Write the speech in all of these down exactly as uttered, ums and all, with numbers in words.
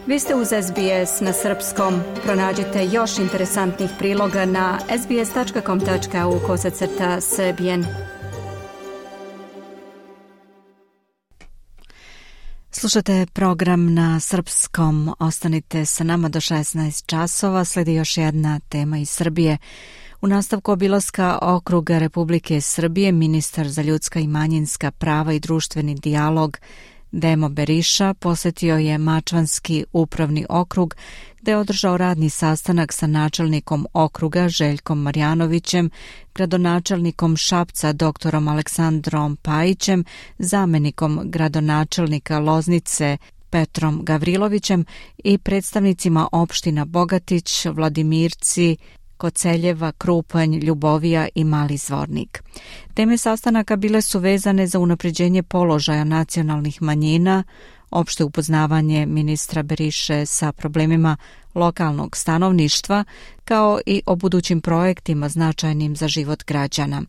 Vi ste uz S B S na srpskom. Pronađite još interesantnih priloga na sbs.com.au kosacrta srbijen. Slušate program na srpskom. Ostanite sa nama do šesnaest časova. Slijedi još jedna tema iz Srbije. U nastavku obilaska okruga Republike Srbije, ministar za ljudska i manjinska prava i društveni dijalog Demo Beriša posjetio je Mačvanski upravni okrug, gdje je održao radni sastanak sa načelnikom okruga Željkom Marjanovićem, gradonačelnikom Šapca doktorom Aleksandrom Pajićem, zamjenikom gradonačelnika Loznice Petrom Gavrilovićem i predstavnicima opština Bogatić, Vladimirci, Koceljeva, Krupanj, Ljubovija i Mali Zvornik. Teme sastanaka bile su vezane za unapređenje položaja nacionalnih manjina, opšte upoznavanje ministra Beriše sa problemima lokalnog stanovništva, kao i o budućim projektima značajnim za život građana.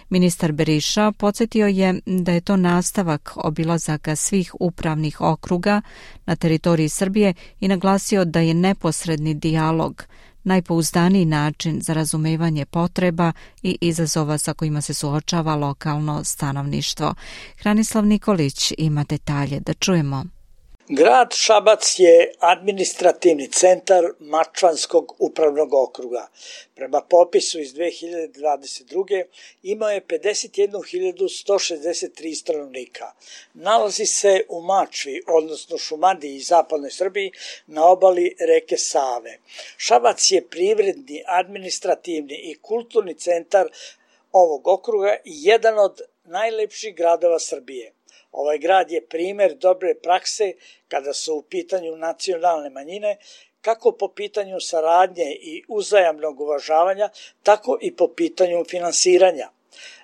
Ministar Beriša podsjetio je da je to nastavak obilazaka svih upravnih okruga na teritoriji Srbije i naglasio da je neposredni dijalog najpouzdaniji način za razumevanje potreba i izazova sa kojima se suočava lokalno stanovništvo. Hranislav Nikolić ima detalje, da čujemo. Grad Šabac je administrativni centar Mačvanskog upravnog okruga. Prema popisu iz dve hiljade dvadeset druge. imao je pedeset jednu hiljadu sto šezdeset tri stanovnika. Nalazi se u Mačvi, odnosno Šumadiji i zapadnoj Srbiji, na obali reke Save. Šabac je privredni, administrativni i kulturni centar ovog okruga i jedan od najlepših gradova Srbije. Ovaj grad je primer dobre prakse kada su u pitanju nacionalne manjine, kako po pitanju saradnje i uzajamnog uvažavanja, tako i po pitanju finansiranja.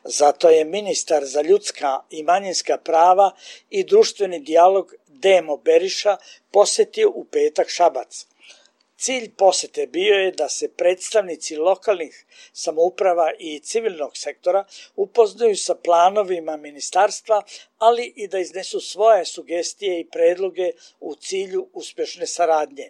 Zato je ministar za ljudska i manjinska prava i društveni dijalog Demo Beriša posjetio u petak Šabac. Cilj posete bio je da se predstavnici lokalnih samouprava i civilnog sektora upoznaju sa planovima ministarstva, ali i da iznesu svoje sugestije i predloge u cilju uspješne saradnje.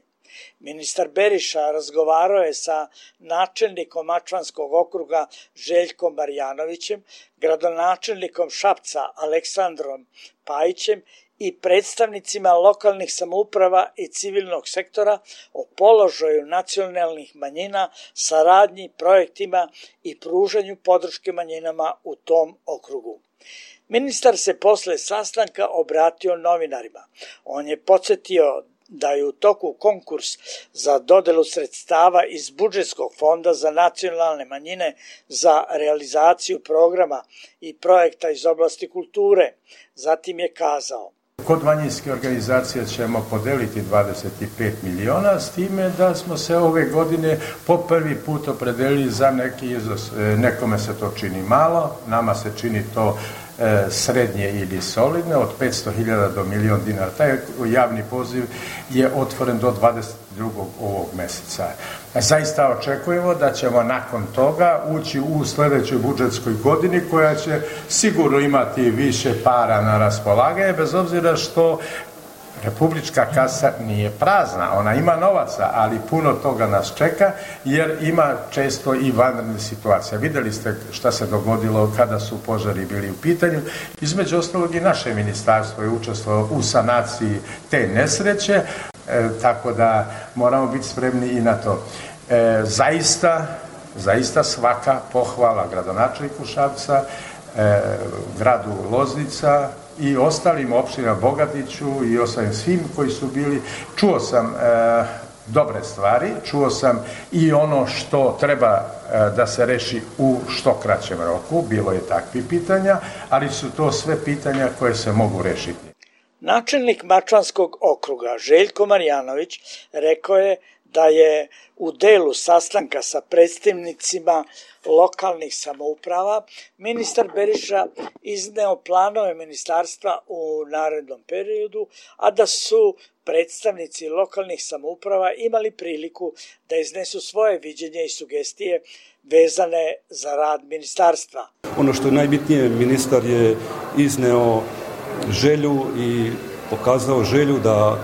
Ministar Beriša razgovarao je sa načelnikom Mačvanskog okruga Željkom Marjanovićem, gradonačelnikom Šapca Aleksandrom Pajićem i predstavnicima lokalnih samouprava i civilnog sektora o položaju nacionalnih manjina, saradnji, projektima i pružanju podrške manjinama u tom okrugu. Ministar se posle sastanka obratio novinarima. On je podsjetio da je u toku konkurs za dodelu sredstava iz budžetskog fonda za nacionalne manjine za realizaciju programa i projekta iz oblasti kulture. Zatim je kazao: Kod manjinske organizacije ćemo podeliti dvadeset pet miliona, s time da smo se ove godine po prvi put opredelili za neki iznos. Nekome se to čini malo, nama se čini to srednje ili solidne, od petsto hiljada do milion dinara. Taj javni poziv je otvoren do dvadeset drugog ovog mjeseca. Zaista očekujemo da ćemo nakon toga ući u sljedećoj budžetskoj godini koja će sigurno imati više para na raspolaganje, bez obzira što republička kasa nije prazna, ona ima novaca, ali puno toga nas čeka jer ima često i vanredne situacije. Vidjeli ste šta se dogodilo kada su požari bili u pitanju. Između ostalog i naše ministarstvo je učestvovalo u sanaciji te nesreće, e, tako da moramo biti spremni i na to. E, zaista, zaista svaka pohvala gradonačelniku Šapca, e, gradu Loznica i ostalim opštinama Bogatiću i ostalim svim koji su bili. Čuo sam e, dobre stvari, čuo sam i ono što treba e, da se reši u što kraćem roku, bilo je takvih pitanja, ali su to sve pitanja koje se mogu rešiti. Načelnik Mačvanskog okruga Željko Marjanović rekao je da je u delu sastanka sa predstavnicima lokalnih samouprava ministar Beriša izneo planove ministarstva u narednom periodu, a da su predstavnici lokalnih samouprava imali priliku da iznesu svoje viđenje i sugestije vezane za rad ministarstva. Ono što je najbitnije, ministar je izneo želju i pokazao želju da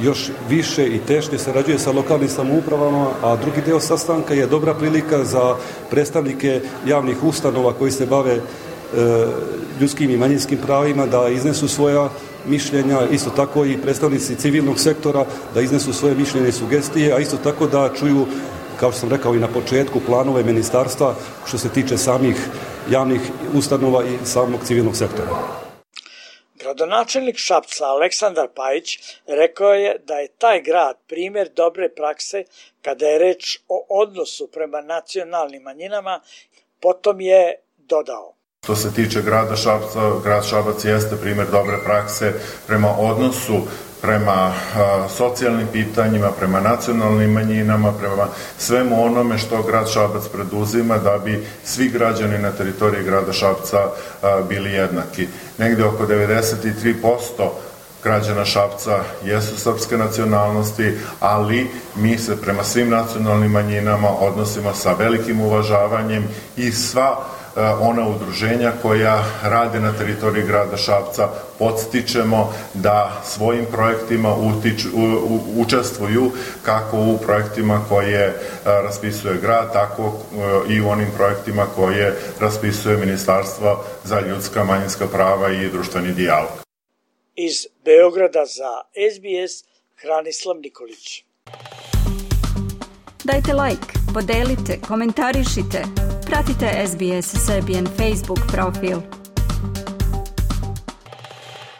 još više i tešnje sarađuje sa lokalnim samoupravama, a drugi dio sastanka je dobra prilika za predstavnike javnih ustanova koji se bave e, ljudskim i manjinskim pravima da iznesu svoja mišljenja, isto tako i predstavnici civilnog sektora da iznesu svoje mišljenje i sugestije, a isto tako da čuju, kao što sam rekao i na početku, planove ministarstva što se tiče samih javnih ustanova i samog civilnog sektora. Gradonačelnik Šapca Aleksandar Pajić rekao je da je taj grad primjer dobre prakse kada je reč o odnosu prema nacionalnim manjinama, potom je dodao. Što se tiče grada Šapca, grad Šabac jeste primjer dobre prakse prema odnosu prema a, socijalnim pitanjima, prema nacionalnim manjinama, prema svemu onome što grad Šabac preduzima da bi svi građani na teritoriji grada Šapca a, bili jednaki. Negde oko devedeset tri posto građana Šapca jesu srpske nacionalnosti, ali mi se prema svim nacionalnim manjinama odnosimo sa velikim uvažavanjem i sva ona udruženja koja rade na teritoriji grada Šapca podstičemo da svojim projektima utiču, u, učestvuju kako u projektima koje raspisuje grad, tako i u onim projektima koje raspisuje Ministarstvo za ljudska, manjinska prava i društveni dijalog. Iz Beograda za S B S Hranislav Nikolić. Dajte like, podelite, komentarišite. Pratite S B S Serbian Facebook profil.